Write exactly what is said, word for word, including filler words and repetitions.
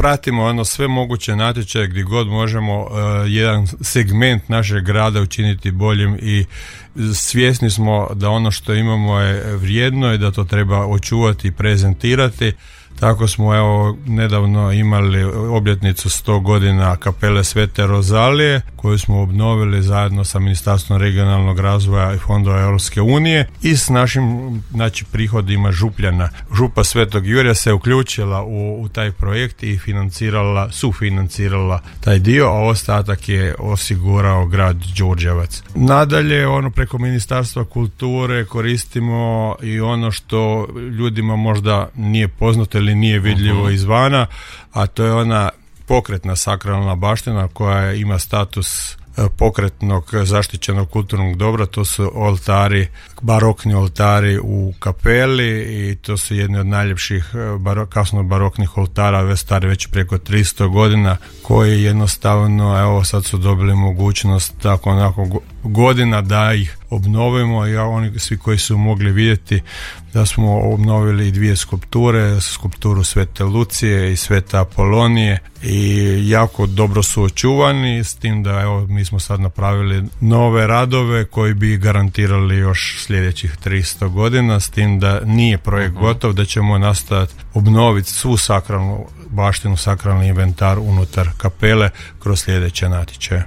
pratimo ono sve moguće natječaje gdje god možemo uh, jedan segment našeg grada učiniti boljim i svjesni smo da ono što imamo je vrijedno i da to treba očuvati i prezentirati. Tako smo evo nedavno imali obljetnicu sto godina kapele Svete Rozalije koju smo obnovili zajedno sa Ministarstvom regionalnog razvoja i fondova Europske unije i s našim znači, prihodima župljana. Župa Svetog Jurja se uključila u, u taj projekt i financirala, sufinancirala taj dio, a ostatak je osigurao grad Đurđevac. Nadalje, ono preko Ministarstva kulture koristimo i ono što ljudima možda nije poznato ili nije vidljivo izvana, a to je ona pokretna sakralna baština koja ima status pokretnog zaštićenog kulturnog dobra. To su oltari, barokni oltari u kapeli i to su jedni od najljepših baro, kasno baroknih oltara, već stari već preko tristo godina, koji jednostavno evo sad su dobili mogućnost tako onako godina da ih obnovimo i oni svi koji su mogli vidjeti da smo obnovili dvije skulpture, skulpturu Svete Lucije i Svete Apolonije i jako dobro su očuvani, s tim da evo mi smo sad napravili nove radove koji bi garantirali još sljedećih tristo godina, s tim da nije projekt uh-huh. gotov, da ćemo nastaviti obnoviti svu sakralnu baštinu, sakralni inventar unutar kapele kroz sljedeće natječaje.